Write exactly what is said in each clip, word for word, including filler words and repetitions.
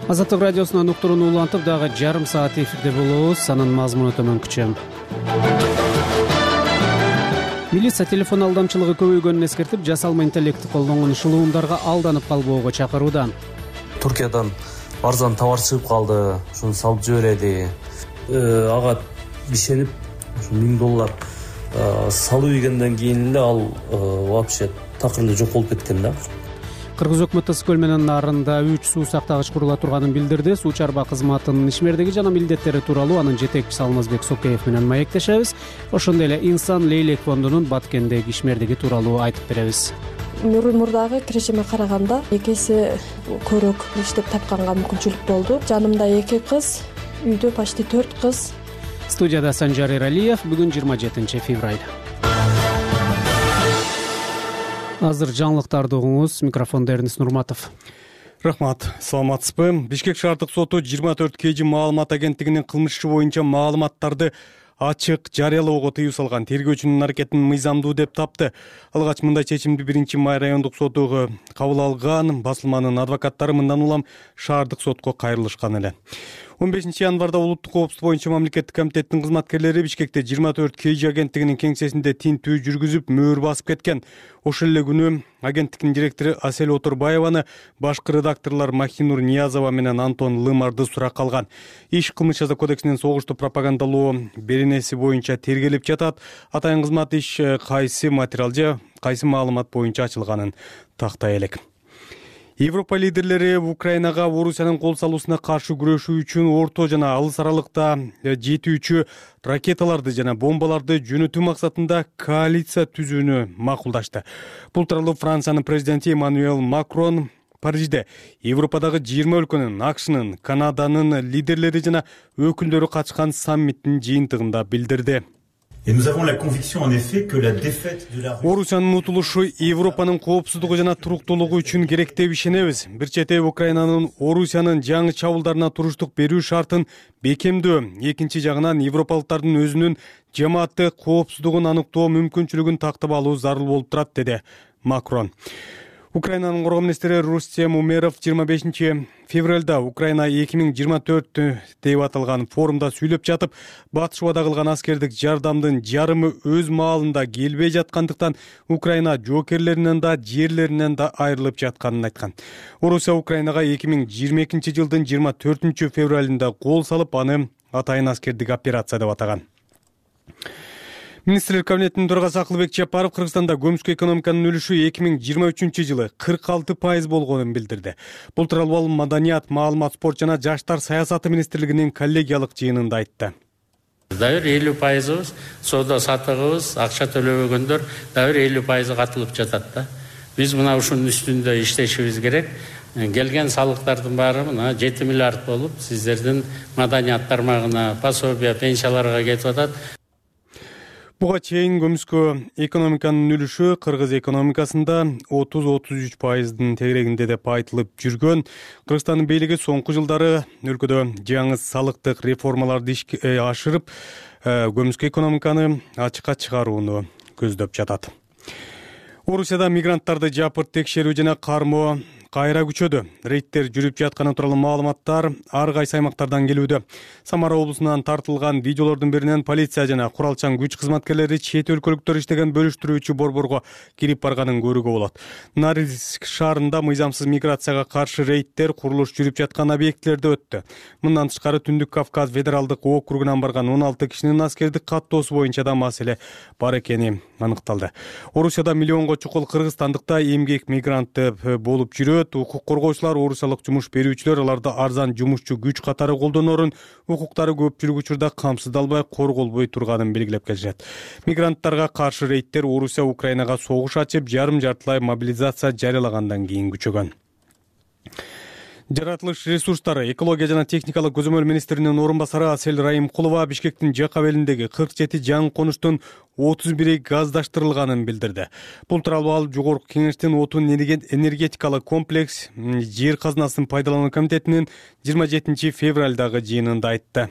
Азаттык радиосунун уктуруну улантып дагы жарым саат эфирде болобуз. Анын мазмуну төмөнкүчө. Милиция телефон алдамчылыгы көбөйгөнүн эскертип, жасалма интеллектти колдонгон шылуундарга алданып калбоого чакырууда. Туркиядан арзан товар чыгып калды, ошону салып жибереди. Ага ишенип, миң доллар салып ийгенден кийин эле ал вообще такыр эле жок болуп кеткен да. Кыргыз өкмөтү Ысык көл менен нарында үч суу сактагыч курула турганын билдирди. Суу чарба кызматынын ишмердиги жана милдеттери тууралуу анын жетекчиси Алмазбек Сокеев менен маектешебиз. Ошондой эле Инсан Лейлек фондунун Баткендеги ишмердиги тууралуу айтып беребиз. Мурдагы кирешеме караганда эки эсе көрөөк иштеп тапканга мүмкүнчүлүк болду. Жанымда эки кыз, үйдө почти төрт кыз. Студияда Санжар Эралиев. Бүгүн жыйырма жетинчи февраль. Азыр жаңылыктарды угуңуз. Микрофондо Эрнис Нурматов. Рахмат. Саламатсызбы? Бишкек шаардык соту жыйырма төрт кей жи маалымат агенттигинин кылмыш иши боюнча маалыматтарды ачык жарыялоого тыюу салган тергөөчүнүн аракетин мыйзамдуу деп тапты. Алгач мындай чечимди биринчи май райондук соту кабыл алган. Басылманын адвокаттары мындан улам шаардык сотко кайрылышкан эле. он бешинчи январда улуттук коопсуздук боюнча мамлекеттик комитеттин кызматкерлери Бишкекте жыйырма төрт кей жи агенттигинин кеңсесинде тинтүү жүргүзүп мөөр басып кеткен. Ошол эле күнү агенттиктин директору Асель Отурбаеваны башкы редакторлор Махинур Ниязова менен Антон Лымарды суракка алган. Иш кылмыш жаза кодексинин согушту пропагандалоо беренеси боюнча тергелип жатат. Атайын кызмат иш кайсы материал же кайсы маалымат боюнча ачылганын тактай элек. Европа лидерлери Украинага Орусиянын кол салуусуна каршы күрөшүү үчүн орто жана алыс аралыкта жетүүчү ракеталарды жана бомбаларды жөнөтүү максатында коалиция түзүүнү макулдашты. Бул тууралуу Франциянын президенти Эммануэль Макрон Парижде Европадагы жыйырма өлкөнүн, АКШнын, Канаданын лидерлери жана өкүлдөрү катышкан саммиттин жыйынтыгында билдирди. Орусиянын утулушу Европанын коопсуздугу жана туруктуулугу үчүн керек деп ишенебиз. Бир чете Украинанын Орусиянын жаңы чабуулдарына туруштук берүү шартын бекемдөө, экинчи жагынан европалыктардын өзүнүн жамаатты коопсуздугун аныктоо мүмкүнчүлүгүн тактап алуу зарыл болуп турат, деди Макрон. Украинанын коргоо министри Рустем Умеров жыйырма бешинчи февралда Украина эки миң жыйырма төрт деп аталган форумда сүйлөп жатып, батыш убада кылган аскердик жардамдын жарымы өз маалында келбей жаткандыктан Украина жоокерлеринен да, жерлеринен да айрылып жатканын айткан. Орусия Украинага эки миң жыйырма экинчи жылдын жыйырма төртүнчү февралында кол салып, аны атайын аскердик операция деп атаган. Министрлер кабинетинин төрагасы Акылбек Жапаров Кыргызстанда көмүскө экономиканын үлүшү эки миң жыйырма үчүнчү жылы кырк алты пайыз болгонун билдирди. Бул тууралуу ал Маданият, маалымат, спорт жана жаштар саясаты министрлигинин коллегиялык жыйынында айтты. Дагы элүү пайызыбыз соода сатыгыбыз, акча төлөбөгөндөр дагы элүү пайызы катылып жатат да. Биз мына ушунун үстүндө иштешибиз керек. Келген салыктардын баары мына жети миллиард болуп, сиздердин маданият тармагына, пособия, пенсияларга кетип атат. Буга чейин көмүскө экономиканын үлүшү кыргыз экономикасында отуз отуз үч пайыздын тегерегинде деп айтылып жүргөн. Кыргызстандын бийлиги соңку жылдары өлкөдө жаңы салыктык реформаларды ишке ашырып, көмүскө экономиканы ачыкка чыгарууну көздөп жатат. Орусияда мигранттарды жапырт текшерүү жана кармоо кайра күчөдү. Рейдтер жүрүп жатканы тууралуу маалыматтар ар кайсы аймактардан келүүдө. Самара облусунан тартылган видеолордун биринен полиция жана куралчан күч кызматкерлери чет өлкөлүктөр иштеген бөлүштүрүүчү борборго кирип барганын көрүүгө болот. Норильск шаарында мыйзамсыз миграцияга каршы рейдтер курулуш жүрүп жаткан объектилерде өттү. Мындан тышкары Түндүк Кавказ федералдык округунан барган он алты кишинин аскердик каттоосу боюнча да маселе бар экени аныкталды. Орусияда миллионго чукул кыргызстандыкта эмгек мигранты болуп жүрөт. Укук коргоочулар, орусиялык жумуш берүүчүлөр аларды арзан жумушчу күч катары колдонорун, укуктары көпчүлүк учурда камсыздалбай, корголбой турганын белгилеп келишет. Мигранттарга каршы рейдтер Орусия Украинага согуш ачып, жарым жартылай мобилизация жарыялагандан кийин күчөгөн. Жаратылыш ресурстары, экология жана техникалык көзөмөл министринин орун басары Асель Райымкулова Бишкектин Жакабелиндеги кырк жети жаңы конуштун отуз бири газдаштырылганын билдирди. Бул тууралуу ал жогорку кеңештин отун энергетикалык комплекс жер казынасын пайдалануу комитетинин жыйырма жетинчи февралдагы жыйынында айтты.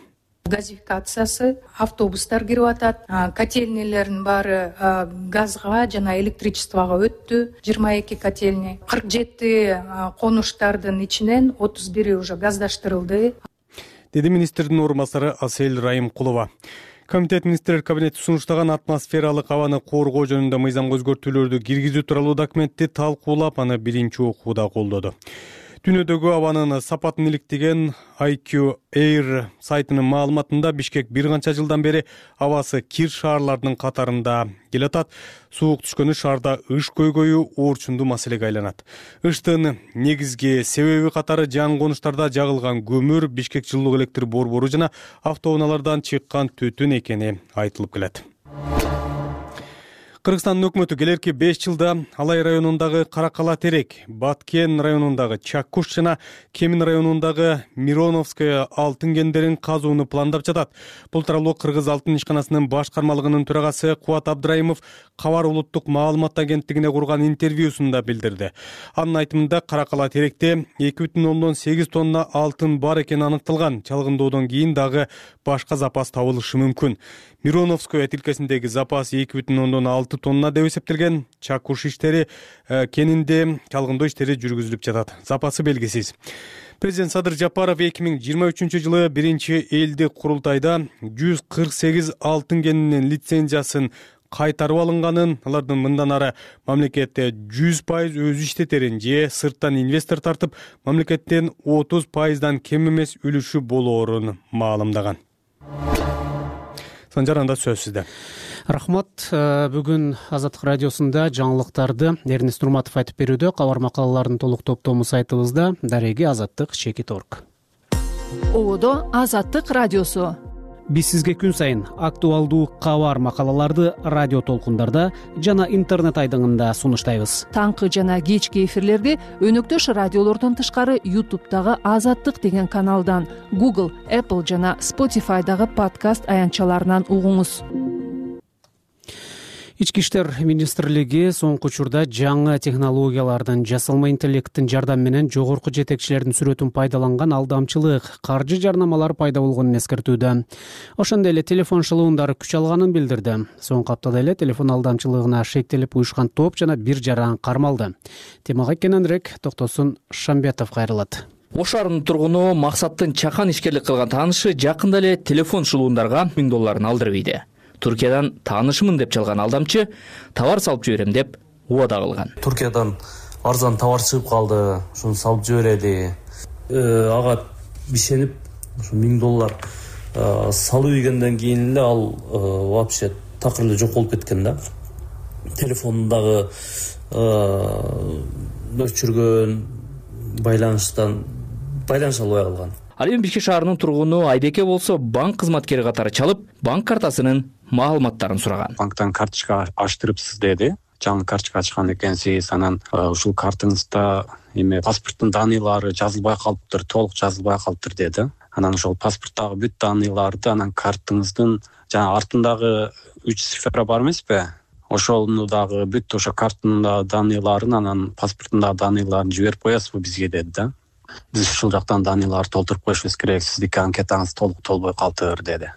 газификациясы, автобустар кирип атат, котельнийлердин баары газга жана электричествого өттү. жыйырма эки котельный, кырк жети конуштардын ичинен отуз бири уже газдаштырылды, деди министрдин орун басары Асель Райымкулова. Комитет министрлер кабинети сунуштаган атмосфералык абаны коргоо жөнүндө мыйзамга өзгөртүүлөрдү киргизүү тууралуу документти талкуулап, аны биринчи окууда колдоду. Дүйнөдөгү абанын сапатын иликтеген ай кью эйр сайтынын маалыматында Бишкек бир канча жылдан бери абасы кир шаарлардын катарында келатат. Суук түшкөнү шаарда ыш көйгөйү оорчундуу маселеге айланат. Ыштын негизги себеби катары жаңы конуштарда жагылган көмүр, Бишкек жылуу электр борбору жана автоунаалардан чыккан түтүн экени айтылып келет. Кыргызстандын өкмөтү келерки беш жылда Алай районундагы Каракала Терек, Баткен районундагы Чаккуш жана Кемин районундагы Мироновская алтын кендерин казууну пландап жатат. Бул тууралуу Кыргыз алтын ишканасынын башкармалыгынын төрагасы Кубат Абдрайымов Кабар улуттук маалымат агенттигине курган интервьюсунда билдирди. Анын айтымында Каракала Теректе эки бүтүн ондон сегиз тонна алтын бар экени аныкталган. Чалгындоодон кийин дагы башка запас табылышы мүмкүн. Мироновская тилкесиндеги запас эки бүтүн ондон алты тонна деп эсептелген. Чаккуш иштери кенинде чалгындоо иштери жүргүзүлүп жатат. Запасы белгисиз. Президент Садыр Жапаров эки миң жыйырма үчүнчү жылы биринчи элдик курултайда жүз кырк сегиз алтын кенинин лицензиясын кайтарып алынганын, алардын мындан ары мамлекетте жүз пайыз өзү иштетерин же сырттан инвестор тартып, мамлекеттен отуз пайыздан кем эмес үлүшү болоорун маалымдаган. Санжар, анда сөз сизде. Рахмат. Бүгүн Азаттык радиосунда жаңылыктарды Эрнест Нурматов айтып берүүдө. Кабар макалалардын толук топтому сайтыбызда. Дареги Азаттык чекит точка орг. Ободо Азаттык радиосу. Биз сизге күн сайын актуалдуу кабар макалаларды радио толкундарда жана интернет айдыңында сунуштайбыз. Таңкы жана кечки эфирлерди өнөктөш радиолордон тышкары ютубтагы Азаттык деген каналдан, Google, Apple жана Spotify'дагы подкаст аянтчаларынан угуңуз. Ички иштер министрлиги соңку учурда жаңы технологиялардын, жасалма интеллекттин жардамы менен жогорку жетекчилердин сүрөтүн пайдаланган алдамчылык, каржы жарнамалар пайда болгонун эскертүүдө. Ошондой эле телефон шылуундары күч алганын билдирди. Соңку аптада эле телефон алдамчылыгына шектелип уюшкан топ жана бир жаран кармалды. Темага кененирээк Токтосун Шамбетов кайрылат. Ош шаарынын тургуну Максаттын чакан ишкерлик кылган таанышы жакында эле телефон шылуундарга миң долларын алдырып ийди. Туркиядан таанышымын деп чалган алдамчы товар салып жиберем деп убада кылган. Туркиядан арзан товар чыгып калды, ошону салып жибереди. Ага бишенип, ошо миң доллар салып ийгенден кийин эле ал вообще такыр эле жок болуп кеткен да. Телефондагы өчүргөн байланыштан байланыш албай калган. Ал эми Бишкек шаарынын тургуну Айбеке болсо банк кызматкери катары чалып, банк картасынын маалыматтарын сураган. Банктан карточка аштырыпсыз деди. Жаңы карточка ачкан экенсиз, анан ушул картыңызда эме паспорттун даныйлары жазылбай калыптыр, толук жазылбай калыптыр деди. Анан ошол паспорттагы бүт даныйларды, анан картыңыздын жана артындагы үч цифра бар эмеспи? Ошону дагы бүт ошо карттын даныйларын, анан паспорттун даныйларын жиберип коесузбу бизге деди да. Биз ушул жактан даныйларды толтуруп коюшубуз керек, сиздики анкетаңыз толук толбой калыптыр деди.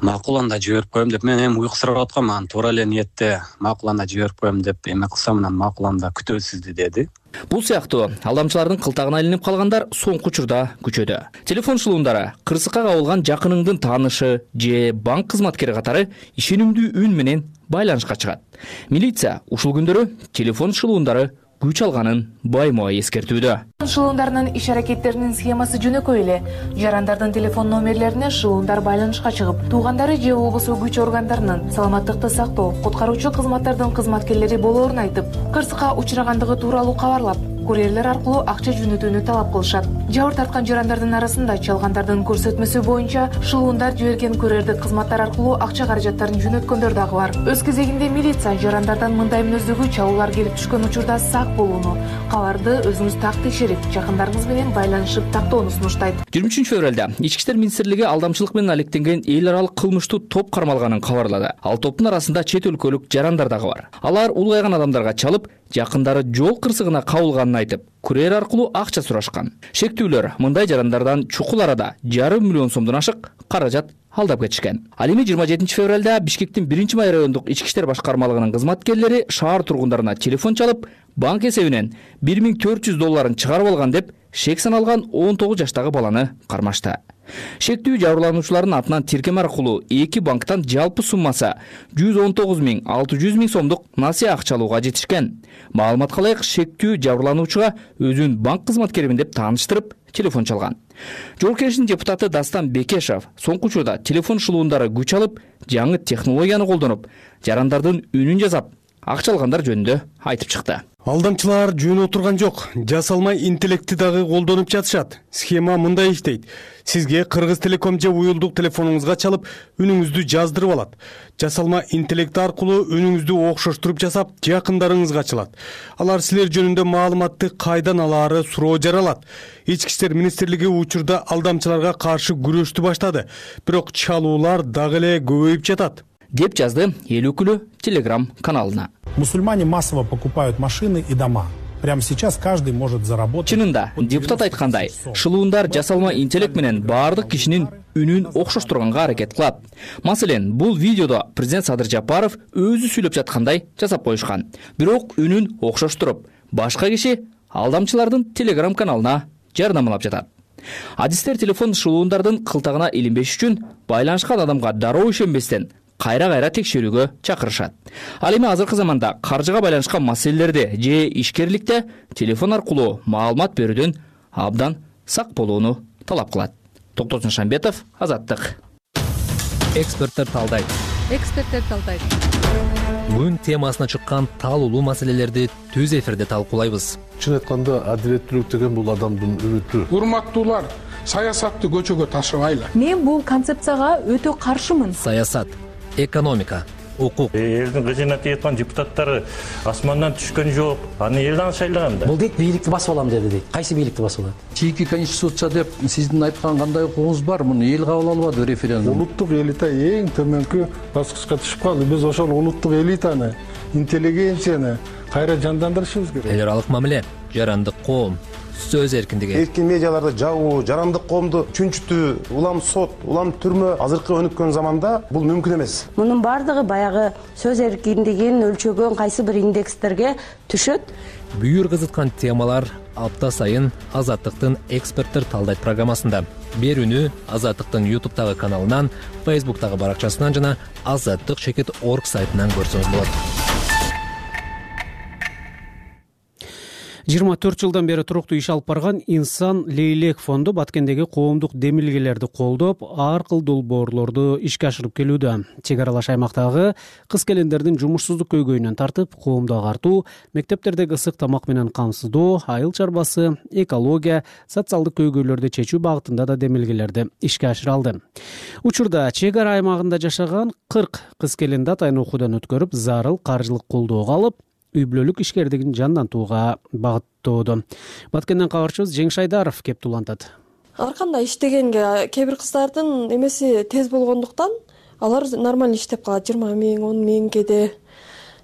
Макул, анда жиберип коем деп мен эми уйкусурап аткам, анан туура эле ниетте макул анда жиберип коем деп эме кылсам, анан макул анда күтөбүз сизди деди. Бул сыяктуу алдамчылардын кылтагына илинип калгандар соңку учурда күчөдө. Телефон шылуундары кырсыкка кабылган жакыныңдын таанышы же банк кызматкери катары ишенимдүү үн менен байланышка чыгат. Милиция ушул күндөрү телефон шылуундары күч алганын байма-бай эскертүүдө. Шылуундарынын иш-аракеттеринин схемасы жөнөкөй эле. Жарандардын телефон номерлерине шылуундар байланышка чыгып, туугандары же болбосо күч органдарынын саламаттыкты сактоо, куткаруучу кызматтардын кызматкерлери болоорун айтып, кырсыкка учурагандыгы тууралуу кабарлап, курьерлер аркылуу акча жөнөтүүнү талап кылышат. Жабыр тарткан жарандардын арасында чалгандардын көрсөтмөсү боюнча шылуундар жиберген курьердик кызматтар аркылуу акча каражаттарын жөнөткөндөр дагы бар. Өз кезегинде милиция жарандардан мындай мүнөздөгү чалуулар келип түшкөн учурда сак болууну, кабарды өзүңүз так текшерип, жакындарыңыз менен байланышып тактоону сунуштайт. жыйырма үчүнчү февралда Ички иштер министрлиги алдамчылык менен алектенген эл аралык кылмыштуу топ кармалганын кабарлады. Ал топтун арасында чет өлкөлүк жарандар дагы бар. Алар улгайган адамдарга чалып, жакындары жол кырсыгына кабылганын айтып, курьер аркылуу акча сурашкан. Шектүүлөр мындай жарандардан чукул арада жарым миллион сомдон ашык каражат алдап кетишкен. Ал эми жыйырма жетинчи февралда Бишкектин биринчи май райондук ички иштер башкармалыгынын кызматкерлери шаар тургундарына телефон чалып, банк эсебинен бир миң төрт жүз долларын чыгарып алган деп шек саналган он тогуз жаштагы баланы кармашты. Шектүү жабырлануучулардын атынан тиркеме аркылуу эки банктан жалпы суммасы жүз он тогуз миң алты жүз миң сомдук насыя акча алууга жетишкен. Маалыматка ылайык, шектүү жабырлануучуга өзүн банк кызматкеримин деп тааныштырып телефон чалган. Жогорку Кеңештин депутаты Дастан Бекешев соңку учурда телефон шылуундары күч алып, жаңы технологияны колдонуп, жарандардын үнүн жасап, акча алгандар жөнүндө айтып чыкты. Алдамчылар жөн отурган жок. Жасалмай интеллектти дагы колдонуп жатышат. Схема мындай иштейт. Сизге Кыргыз Телеком же уюлдук телефонуңузга чалып, үнүңүздү жаздырып алат. Жасалма интеллект аркылуу үнүңүздү окшоштуруп жасап, жакындарыңызга чалат. Алар силер жөнүндө маалыматты кайдан алаары суроо жаралат. Ички иштер министрлиги учурда алдамчыларга каршы күрөштү баштады. Бирок чалуулар дагы эле көбөйүп жатат, деп жазды эл өкүлү Telegram каналына. Мусульмане массово покупают машины и дома. Прямо сейчас каждый может заработать. Чынында, депутат айткандай, шылуундар жасалма интеллект менен баардык кишинин үнүн окшоштурганга аракет кылат. Маселен, бул видеодо президент Садыр Жапаров өзү сүйлөп жаткандай жасап коюшкан. Бирок үнүн окшоштуруп, башка киши алдамчылардын Telegram каналына жардамлап жатат. Адистер телефон шылуундардын кылтагына илинбеш үчүн байланышкан адамга дароо ишенбестен кайра-кайра текшерүүгө чакырышат. Ал эми азыркы заманда каржыга байланышкан маселелерде же ишкерликте телефон аркылуу маалымат берүүдөн абдан сак болууну талап кылат. Токтосун Шамбетов, Азаттык. Эксперттер талдайт. Эксперттер талдайт. Бүгүн темасына чыккан таалуулуу маселелерди түз эфирде талкуулайбыз. Чын айтканда, адилеттүүлүк деген бул адамдын үмүтү. Урматтуулар, саясатты көчөгө ташыбайлы. Мен бул концепцияга өтө каршымын. Саясат, экономика, укук. Элдин кыжына тийаткан депутаттары асмандан түшкөн жок. Аны эл дагы шайлаган да. Бул дейт бийликти басып алам деди дейт. Кайсы бийликти басып алат? Чийки конституция деп сиздин айткан кандай укугуңуз бар? Муну эл кабыл албады референдум. Улуттук элита эң төмөнкү баскычка түшүп калды. Биз ошол улуттук элитаны, интеллигенцияны кайра жандандырышыбыз керек. Эл аралык мамиле, жарандык коом, сөз эркиндиги. Эркин медиаларды жабуу, жарандык коомду чүнчүтүү, улам сот, улам түрмө азыркы өнүккөн заманда бул мүмкүн эмес. Мунун бардыгы баягы сөз эркиндигин өлчөгөн кайсы бир индекстерге түшөт. Бүйүр кызыткан темалар апта сайын Азаттыктын эксперттер талдайт программасында. Берүүнү Азаттыктын ютубтагы каналынан, фейсбуктагы баракчасынан жана азаттык чекит точка орг сайтынан көрсөңүз болот. жыйырма төрт жылдан бери туруктуу иш алып барган Инсан Лейлек фонду Баткендеги коомдук демилгелерди колдоп, ар кыл долбоорлорду ишке ашырып келүүдө. Чек аралаш аймактагы кыз-келиндердин жумушсуздук көйгөйүнөн тартып, коомду агартуу, мектептердеги ысык тамак менен камсыздоо, айыл чарбасы, экология, социалдык көйгөйлөрдү чечүү багытында да демилгелерди ишке ашыра алды. Учурда чек ара аймагында жашаган кырк кыз-келинди атайын окуудан өткөрүп, зарыл каржылык колдоого алып, үй бүлөлүк ишкердигин жандантууга багыттоодо. Баткенден кабарчыбыз Жеңиш Айдаров кеп улантат. Ар кандай иштегенге кээ бир кыздардын эмеси тез болгондуктан алар нормально иштеп калат. жыйырма миң, он миң кеде.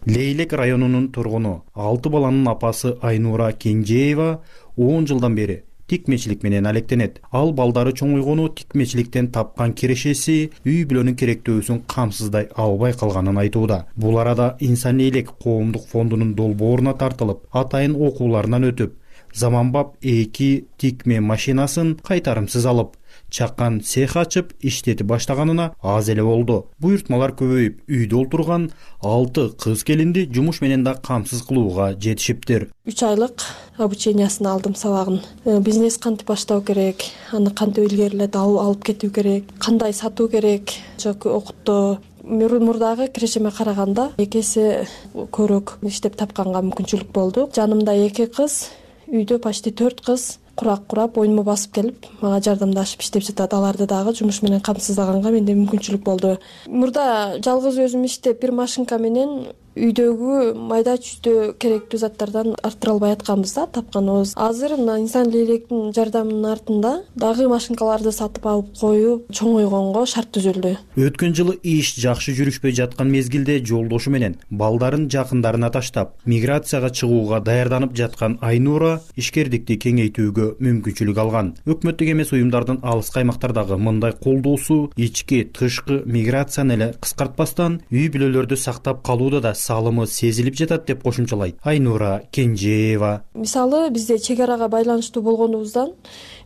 Лейлек районунун тургуну, алты баланын апасы Айнура Кенжеева он жылдан бери тикмечилик менен алектенет. Ал балдары чоңойгону тикмечиликтен тапкан кирешеси үй бүлөнүн керектөөсүн камсыздай албай калганын айтууда. Бул арада Инсан Лейлек коомдук фондунун долбооруна тартылып, атайын окууларынан өтүп, заманбап эки тикме машинасын кайтарымсыз алып, чаккан цех ачып иштетип баштаганына аз эле болду. Буйртмалар көбөйүп, үйдө олтурган алты кыз-келинди жумуш менен да камсыз кылууга жетишиптир. үч айлык обучениясын алдым, сабагын. Бизнес кантип баштоо керек, аны кантип илгерилеп алып кетүү керек, кандай сатуу керек, жок окуттоо. Мурдагы кирешеме караганда эки эсе көрөк иштеп тапканга мүмкүнчүлүк болду. Жанымда эки кыз, үйдө почти төрт кыз курак курап, оюнума басып келип, мага жардамдашып иштеп жатат. Аларды дагы жумуш менен камсыздаганга менде мүмкүнчүлүк болду. Мурда жалгыз өзүм иштеп, бир машинка менен үйдөгү майда чүйдө керектүү заттардан арттыра албай атканбыз да тапканыбыз. Азыр мына инсан лейлектин жардамынын артында дагы машинкаларды сатып алып коюп чоңойгонго шарт түзүлдү. Өткөн жылы иш жакшы жүрүшпөй жаткан мезгилде жолдошу менен балдарын жакындарына таштап миграцияга чыгууга даярданып жаткан Айнура ишкердикти кеңейтүүгө мүмкүнчүлүк алган. Өкмөттүк эмес уюмдардын алыскы аймактардагы мындай колдоосу ички тышкы миграцияны эле кыскартпастан үй бүлөлөрдү сактап калууда да салымы сезилип жатат деп кошумчалайт Айнура Кенжеева. Мисалы бизде чек арага байланыштуу болгонубуздан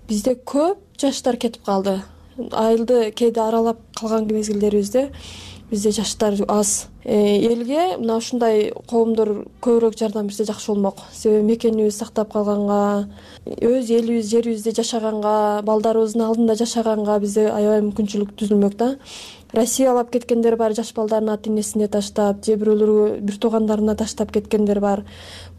бизде көп жаштар кетип калды. Айылды кээде аралап калган мезгилдерибизде бизде жаштар аз. Элге мына ушундай коомдор көбүрөөк жардам берсе жакшы болмок. Себеби мекенибизди сактап калганга, өз элибиз, жерибизде жашаганга, балдарыбыздын алдында жашаганга бизде аябай мүмкүнчүлүк түзүлмөк да. Россия алып кеткендер бар, жаш балдарын ата энесине таштап, же бирөөлөргө бир туугандарына таштап кеткендер бар.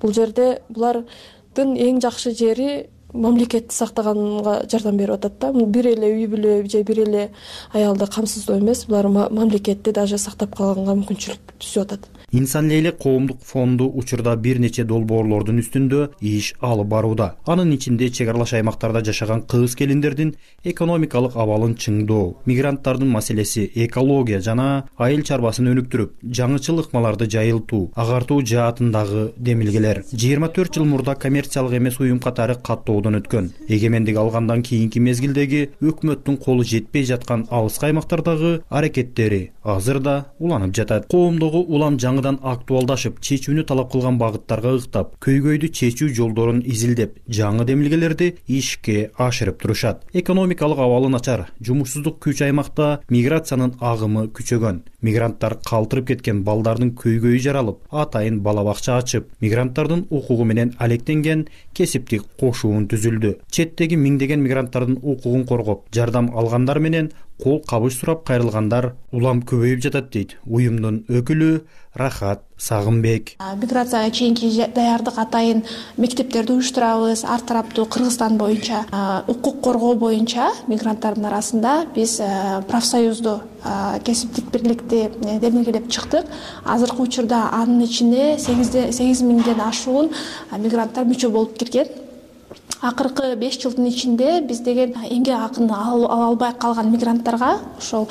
Бул жерде булардын эң жакшы жери мамлекетти сактаганга жардам берип атат да. Бир эле үй бүлө же бир эле аялды камсыздоо эмес, булар мамлекетти даже сактап калганга мүмкүнчүлүк түзүп атат. Инсан Лейлек коомдук фонду учурда бир нече долбоорлордун үстүндө иш алып барууда. Анын ичинде чек аралаш аймактарда жашаган кыз келиндердин экономикалык абалын чыңдоо, мигранттардын маселеси, экология жана айыл чарбасын өнүктүрүп, жаңычыл ыкмаларды жайылтуу, агартуу жаатындагы демилгелер. жыйырма төрт жыл мурда коммерциялык эмес уюм катары каттоодон өткөн. Эгемендик алгандан кийинки мезгилдеги өкмөттүн колу жетпей жаткан алыскы аймактардагы аракеттери азыр да уланып жатат. Коомдогу улам жаңы актуалдашып, чечүүнү талап кылган багыттарга ыктап, көйгөйдү чечүү жолдорун изилдеп, жаңы демилгелерди ишке ашырып турушат. Экономикалык абалы начар, жумушсуздук күч аймакта миграциянын агымы күчөгөн. Мигранттар калтырып кеткен балдардын көйгөйү жаралып, атайын бала бакча ачып, мигранттардын укугу менен алектенген кесиптик кошуун түзүлдү. Четтеги миңдеген мигранттардын укугун коргоп, жардам алгандар менен кол кабыш сурап кайрылгандар улам көбөйүп жатат дейт уюмдун өкүлү Рахат Сагынбек. Миграцияга чейинки даярдык атайын мектептерди уюштурабыз. Ар тараптуу Кыргызстан боюнча укук коргоо боюнча мигранттардын арасында биз профсоюзду кесиптик бирликти демилгелеп чыктык. Азыркы учурда анын ичине сегиз миңден ашуун мигранттар мүчө болуп кирген. Акыркы беш жылдын ичинде биз деген эмгек акын ала албай калган мигранттарга ошол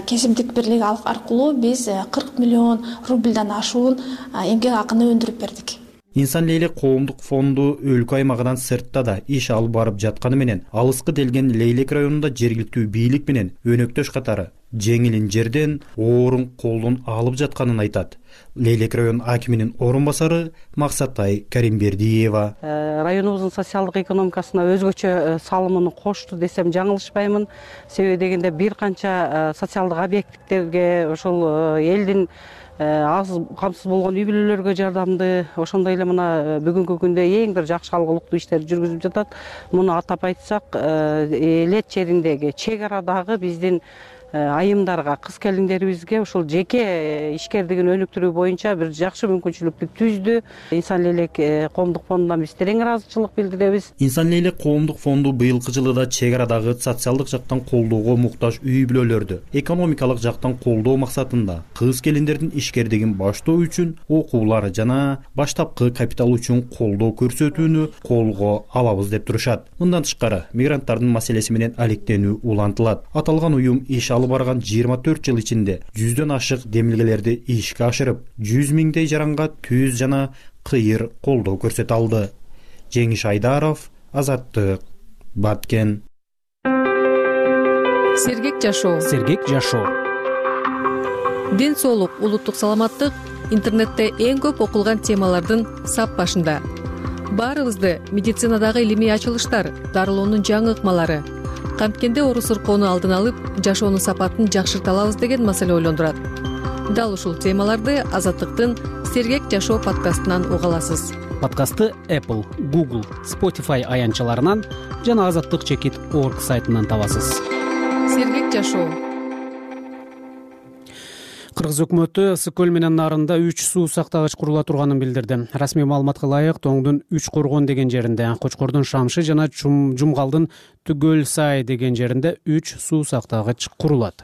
кесиптик бирлик аркылуу биз кырк миллион рубльдан ашуун эмгек акыны өндүрүп бердик. Инсан Лейлек коомдук фонду өлкө аймагынан сыртта да иш алып барып жатканы менен алыскы делген Лейлек районунда жергиликтүү бийлик менен өнөктөш катары жеңилин жерден оорун колдон алып жатканын айтат. Лейлек район акиминин орун басары Максатай Каримбердиева. Районубуздун социалдык экономикасына өзгөчө салымын кошту десем жаңылышпаймын. Себеби дегенде бир канча социалдык объекттерге ошол элдин аз камсыз болгон үй бүлөлөргө жардамды, ошондой эле мына бүгүнкү күндө эң бир жакшы алгылыктуу иштерди жүргүзүп жатат. Муну атап айтсак, элет жериндеги чек арадагы биздин айымдарга, кыз келиндерибизге ушул жеке ишкердигин өнүктүрүү боюнча бир жакшы мүмкүнчүлүктү түздү. Инсан Лейлек коомдук фондунан биз терең ыраазычылык билдиребиз. Инсан Лейлек коомдук фонду быйылкы жылы да чек арадагы социалдык жактан колдоого муктаж үй бүлөлөрдү экономикалык жактан колдоо максатында кыз келиндердин ишкердигин баштоо үчүн окуулар жана баштапкы капитал үчүн колдоо көрсөтүүнү колго алабыз деп турушат. Мындан тышкары мигранттардын маселеси менен алектенүү улантылат. Аталган уюм иш алып барган жыйырма төрт жыл ичинде жүздөн ашык демилгелерди ишке ашырып, жүз миңдей жаранга түз жана кыйыр колдоо көрсөтө алды. Жеңиш Айдаров, Азаттык, Баткен. Сергек жашоо. Сергек жашоо. Ден соолук, улуттук саламаттык интернетте эң көп окулган темалардын сап башында. Баарыбызды медицинадагы илимий ачылыштар, дарылоонун жаңы ыкмалары, камткенде оору сыркоону алдын алып, жашоонун сапатын жакшырта алабыз деген маселе ойлондурат. Дал ушул темаларды Азаттыктын Сергек жашоо подкастынан уга аласыз. Подкастты Apple, Google, Spotify аянтчаларынан жана азаттык чекит орг сайтынан табасыз. Сергек жашоо. Кыргыз өкмөтү Ысык көл менен нарында үч суу сактагыч курула турганын билдирди. Расмий маалыматка ылайык, Тоңдун үч коргон деген жеринде, Кочкордун Шамшы жана Жумгалдын Түгөл Сай деген жеринде үч суу сактагыч курулат.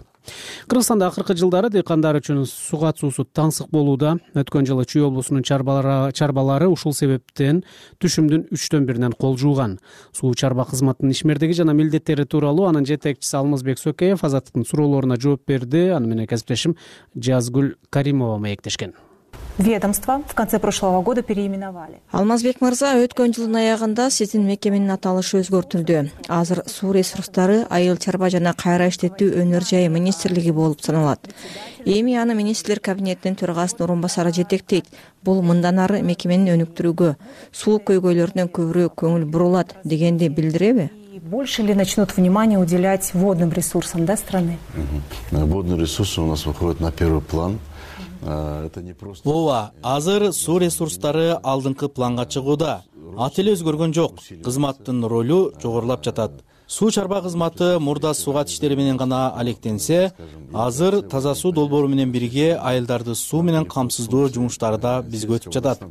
Кыргызстанда акыркы жылдары дыйкандар үчүн сугат суусу таңсык болууда. Өткөн жылы Чүй облусунун чарбалары ушул себептен түшүмдүн үчтөн биринен кол жууган. Суу чарба кызматынын ишмердиги жана милдеттери тууралуу анын жетекчиси Алмазбек Сокеев Азаттыктын суроолоруна жооп берди. Аны менен кесиптешим Жазгүл Каримова маектешкен. Ведомство в конце прошлого года переименовали. Алмазбек мырза, өткөн жылдын аягында сиздин мекеменин аталышы өзгөртүлдү. Азыр суу ресурстары, айыл чарба жана кайра иштетүү өнөр жайы министрлиги болуп саналат. Эми аны министрлер кабинетинин төрагасынын орун басары жетектейт. Бул мындан ары мекеменин өнүктүрүүгө, суу көйгөйлөрүнөн көбүрөөк көңүл бурулат дегенди билдиреби? Больше ли начнут внимание уделять водным ресурсам, да, страны? Водные ресурсы у нас выходят на первый план. Ооба, азыр суу ресурстары алдыңкы планга чыгууда. Ат эле өзгөргөн жок. Кызматтын ролу жогорулап жатат. Суу чарба кызматы мурда сугат иштери менен гана алектенсе, азыр таза суу долбоору менен бирге айылдарды суу менен камсыздоо жумуштары да бизге өтүп жатат.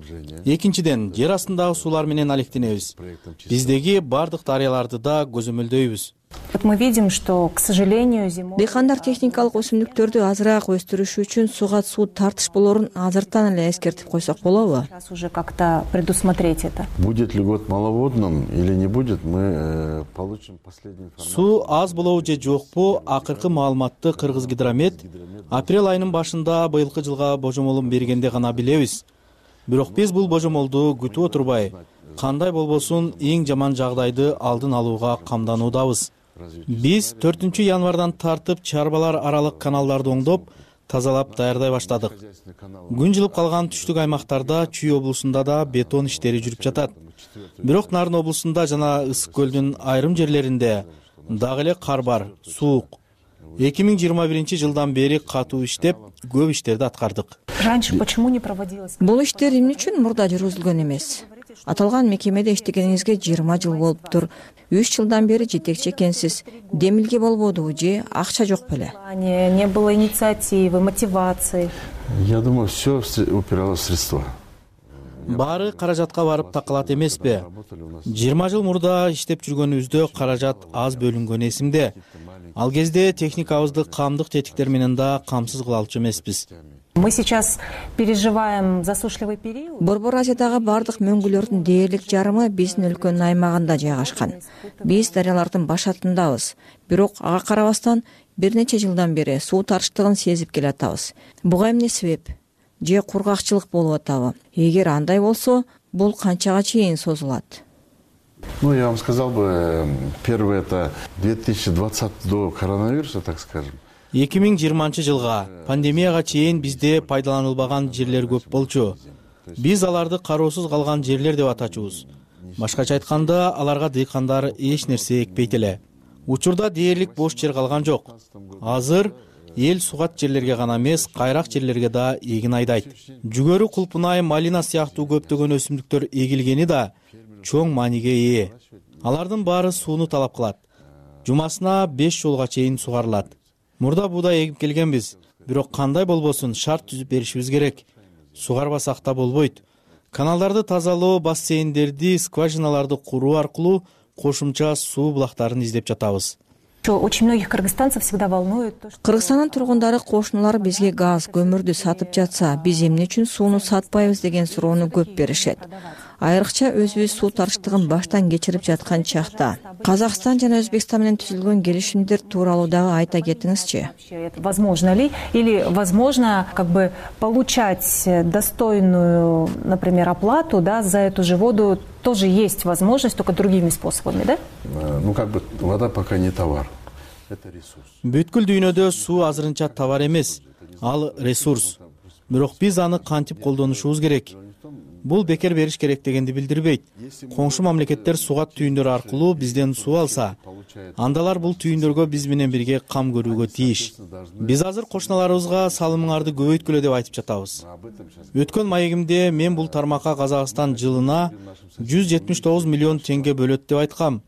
Экинчиден, жер астындагы суулар менен алектенебиз. Биздеги бардык дарыяларды да көзөмөлдөйбүз. Мы видим, что, к сожалению, зимой... Дыйкандар техникалык өсүмдүктөрдү азыраак өстүрүш үчүн сугат суу тартышполорун азыртан эле эскертип койсок болобу? Сейчас уже как-то предусмотреть это. Будет ли год маловодным или не будет, мы получим последнюю информацию. Суу аз болобу же жокпу, акыркы маалыматты Кыргызгидромет апрель айынын башында быйылкы жылга божомолун бергенде гана билебиз. Бирок биз бул божомолду күтүп отурбай, кандай болбосун эң жаман жагдайды алдын алууга камдануудабыз. Биз төртүнчү январдан тартып чарбалар аралык каналдарды оңдоп, тазалап даярдай баштадык. Күн жылып калган түштүк аймактарда Чүй облусунда да бетон иштери жүрүп жатат. Бирок Нарын облусунда жана Ысык көлдүн айрым жерлеринде дагы эле кар бар, суук. эки миң жыйырма биринчи жылдан бери катуу иштеп, көп иштерди аткардык. Раньше почему не проводилось? Бул иштер эмне үчүн мурда жүргүзүлгөн эмес? Аталган мекемеде иштегениңизге жыйырма жыл болуптур. үч жылдан бери жетекчи экенсиз. Демилге болбодубу же акча жок беле? Не было инициативы, мотивации. Я думаю, все упиралось в средства. Баары каражатка барып такалат эмеспи? жыйырма жыл мурда иштеп жүргөнүбүздө каражат аз бөлүнгөн эсимде. Ал кезде техникабызды камдык тетиктер менен да камсыз кыла алчу эмеспиз. Мы сейчас переживаем засушливый период. Борбор Азиядагы бардык мөңгүлөрдүн дээрлик жарымы биздин өлкөнүн аймагында жайгашкан. Биз дарыялардын башатындабыз. Бирок ага карабастан бир нече жылдан бери суу тарыштыгын сезип келатабыз. Буга эмне себеп? Же кургакчылык болуп атабы? Эгер андай болсо, бул канчага чейин созулат? Ну, я вам сказал бы, первое это две тысячи двадцатый до коронавируса, так скажем. эки миң жыйырманчы жылга пандемияга чейин бизде пайдаланылбаган жерлер көп болчу. Биз аларды кароосуз калган жерлер деп атачубуз. Башкача айтканда, аларга дыйкандар эч нерсе экпейт эле. Учурда дээрлик бош жер калган жок. Азыр эл сугат жерлерге гана эмес, кайрак жерлерге да эгин айдайт. Жүгөрү, кулпунай, малина сыяктуу көптөгөн өсүмдүктөр эгилгени да чоң мааниге ээ. Алардын баары сууну талап кылат. Жумасына беш жолго чейин сугарылат. Мурда буудай эгип келгенбиз, бирок кандай болбосун шарт түзүп беришибиз керек. Сугарбасак да болбойт. Каналдарды тазалоо, бассейндерди, скважиналарды куруу аркылуу кошумча суу булактарын издеп жатабыз. Очень многих кыргызстанцев всегда волнует то, что... Кыргызстандын тургундары кошуналар бизге газ, көмүрдү сатып жатса, биз эмне үчүн сууну сатпайбыз деген суроону көп беришет. Айрыкча өзүбүз суу тарыштыгын баштан кечирип жаткан чакта Казакстан жана Өзбекстан менен түзүлгөн келишимдер тууралуу дагы айта кетиңизчи. Возможно ли или возможно как бы получать достойную, например, оплату, да, за эту же воду тоже есть возможность, только другими способами, да? Ну как бы вода пока не товар. Это ресурс. Бүткүл дүйнөдө суу азырынча товар эмес, ал ресурс. Бирок биз аны кантип колдонушубуз керек? Бул бекер бериш керек дегенди билдирбейт. Коңшу мамлекеттер сугат түйүндөрү аркылуу бизден суу алса, андалар бул түйүндөргө биз менен бирге кам көрүүгө тийиш. Биз азыр кошуналарыбызга салымыңарды көбөйткүлө деп айтып жатабыз. Өткөн маегимде мен бул тармакка Казакстан жылына жүз жетимиш тогуз миллион теңге бөлөт деп айткам.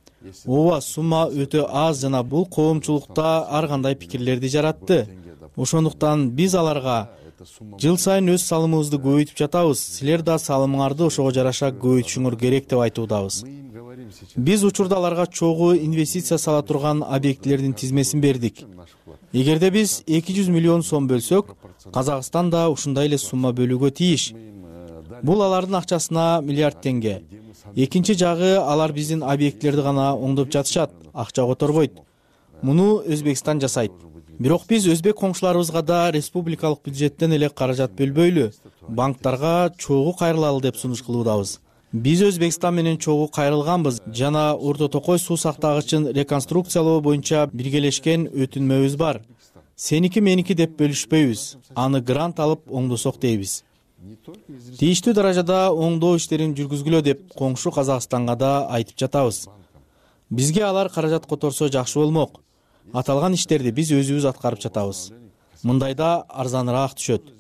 Ооба, сумма өтө аз жана бул коомчулукта ар кандай пикирлерди жаратты. Ошондуктан биз аларга жыл сайын өз салымыбызды көбөйтүп жатабыз. Силер да салымыңарды ошого жараша көбөйтүшүңөр керек деп айтуудабыз. Биз учурда аларга чогуу инвестиция сала турган объектилердин тизмесин бердик. Эгерде биз эки жүз миллион сом бөлсөк, Казакстан да ушундай эле сумма бөлүүгө тийиш. Бул алардын акчасына миллиард теңге. Экинчи жагы, алар биздин объектилерди гана оңдоп жатышат, акча которбойт. Муну Өзбекстан жасайт. Бирок биз өзбек коңшуларыбызга да республикалык бюджеттен эле каражат бөлбөйлү, банктарга чогуу кайрылалы деп сунуш кылуудабыз. Биз Өзбекстан менен чогуу кайрылганбыз жана Орто Токой суу сактагычын реконструкциялоо боюнча биргелешкен өтүнмөбүз бар. Сеники меники деп бөлүшпөйбүз. Аны грант алып оңдосок дейбиз. Тийиштүү даражада оңдоо иштерин жүргүзгүлө деп коңшу Казакстанга да айтып жатабыз. Бизге алар каражат которсо жакшы болмок. Аталган иштерди биз өзүбүз аткарып жатабыз. Мындайда арзаныраак түшөт.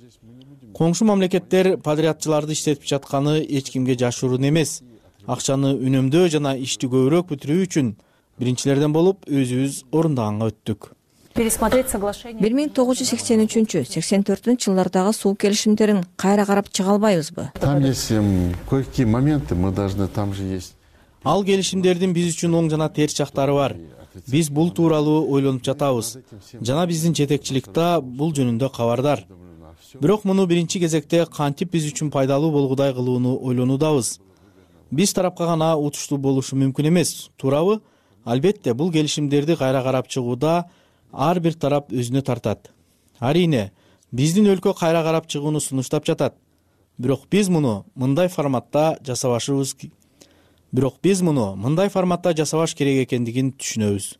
Коңшу мамлекеттер подрядчыларды иштетип жатканы эч кимге жашыруун эмес. Акчаны үнөмдөө жана ишти көбүрөөк бүтүрүү үчүн биринчилерден болуп өзүбүз орундаганга өттүк. Пересмотреть соглашение. бир миң тогуз жүз сексен үчүнчү сексен төртүнчү жылдардагы суу келишимдерин кайра карап чыга албайбызбы? Там есть кое-какие моменты, мы должны, там же есть. Ал келишимдердин биз үчүн оң жана терс жактары бар. Биз бул тууралуу ойлонуп жатабыз. Жана биздин жетекчилик да бул жөнүндө кабардар. Бирок муну биринчи кезекте кантип биз үчүн пайдалуу болгудай кылууну ойлонуудабыз. Биз тарапка гана утуштуу болушу мүмкүн эмес, туурабы? Албетте, бул келишимдерди кайра карап чыгууда ар бир тарап өзүнө тартат. Арине, биздин өлкө кайра карап чыгууну сунуштап жатат. Бирок биз муну мындай форматта жасабашыбыз Бирок биз муну мындай форматта жасабаш керек экендигин түшүнөбүз.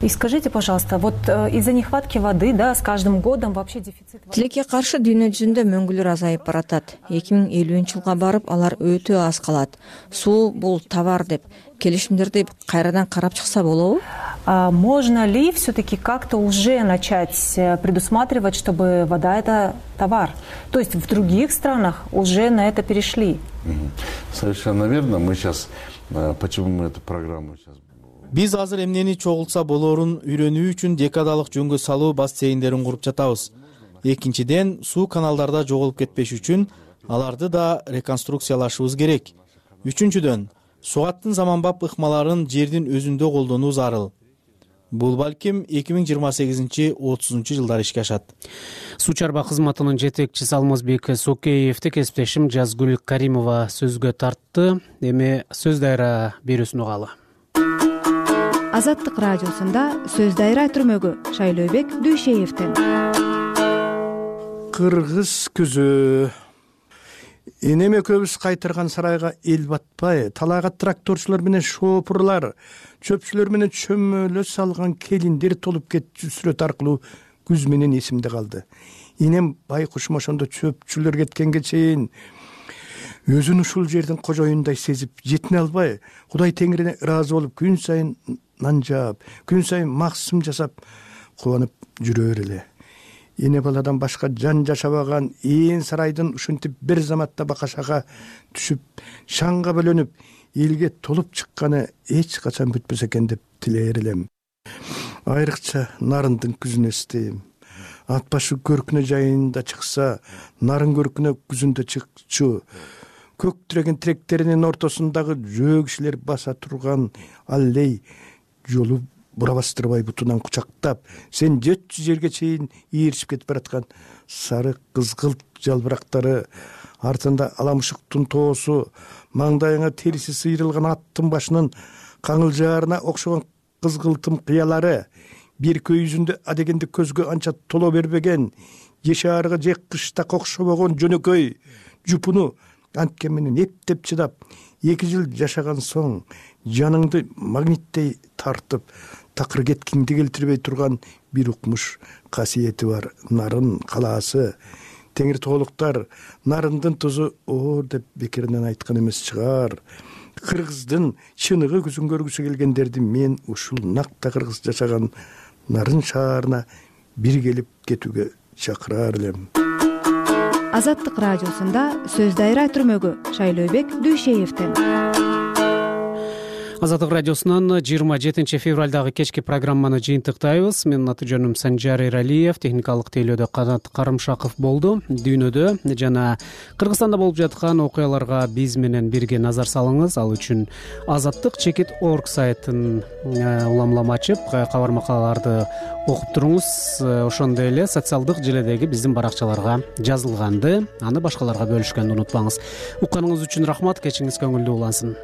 И скажите, пожалуйста, вот из-за нехватки воды, да, с каждым годом вообще дефицит воды. Тилекке каршы дүйнө жүзүндө мөңгүлөр азайып баратат. эки миң элүүнчү жылга барып алар өтө аз калат. Суу бул товар деп келишимдерди кайрадан карап чыкса болобу? А можно ли все-таки как-то уже начать предусматривать, чтобы вода это товар? То есть в других странах уже на это перешли? Совершенно верно. Мы сейчас, почему мы эту программу сейчас... Биз азыр эмнени чогултса болорун үйрөнүү үчүн декадалык жөнгө салуу бассейндерин куруп жатабыз. Экинчиден, суу каналдарда жоголуп кетпеш үчүн аларды да реконструкциялашыбыз керек. Үчүнчүдөн, сугаттын заманбап ыкмаларын жердин өзүндө колдонуу зарыл. Бул балким эки миң жыйырма сегизинчи отузунчу жылдары ишке ашат. Суу чарба кызматынын жетекчиси Алмазбек Сокеевди кесиптешим Жазгүл Каримова сөзгө тартты. Эми сөз дайра берүүсүн угалы. Азаттык радиосунда сөз дайра түрмөгү Шайлообек Дүйшеевден. Кыргыз күзү. Энеме көбүс кайтырган сарайга эл батпай, талайга тракторчулар менен шопурлар, чөпчүлөр менен чөмөлө салган келиндер толуп кетчү сүрөт аркылуу күз менен эсимде калды. Энем байкушум ошондо чөпчүлөр кеткенге чейин өзүн ушул жердин кожоюндай сезип, жетине албай, Кудай Теңирине ыраазы болуп, күн сайын нан жаап, күн сайын максым жасап, кубанып жүрөр эле. Эне баладан башка жан жашабаган ээн сарайдын ушинтип бир заматта бакашага түшүп, шаңга бөлөнүп, элге толуп чыкканы эч качан бүтпөсө экен деп тилээр элем. Айрыкча нарындын күзүн эстейм. Ат башы көркүнө жайында чыкса, нарын көркүнө күзүндө чыкчу. Көк тиреген тиректеринин ортосундагы жөө кишилер баса турган аллей жолу бура бастырбай бутунан кучактап, сен жети жүз жерге чейин ийиришип кетип бараткан сары кызгылт жалбырактары, артында аламышыктын тоосу, маңдайыңа териси сыйрылган аттын башынын каңылжаарына окшогон кызгылтым кыялары, бир көйүзүндө адегенде көзгө анча толо бербеген, жешаарыга же кыштак окшобогон жөнөкөй жупуну анткен менен эптеп чыдап, эки жыл жашаган соң жаныңды магниттей тартып, такыр кеткиңди келтирбей турган бир укмуш касиети бар нарын калаасы. Теңир тоолуктар нарындын тузу оор деп бекеринен айткан эмес чыгар. Кыргыздын чыныгы күзүн көргүсү келгендерди мен ушул накта кыргыз жашаган нарын шаарына бир келип кетүүгө чакырар элем. Азаттык радиосунда сөз дайра түрмөгү Шайлообек Дүйшеевден. Азаттык радиосунан жыйырма жетинчи февралдагы кечки программаны жыйынтыктайбыз. Менин аты жөнүм Санжар Эралиев, техникалык тейлөөдө Канат Карымшаков болду. Дүйнөдө жана Кыргызстанда болуп жаткан окуяларга биз менен бирге назар салыңыз. Ал үчүн азаттык чекит точка орг сайтын улам улам ачып, кабар макалаларды окуп туруңуз. Ошондой эле социалдык желедеги биздин баракчаларга жазылганды, аны башкаларга бөлүшкөндү унутпаңыз. Укканыңыз үчүн рахмат, кечиңиз көңүлдүү улансын.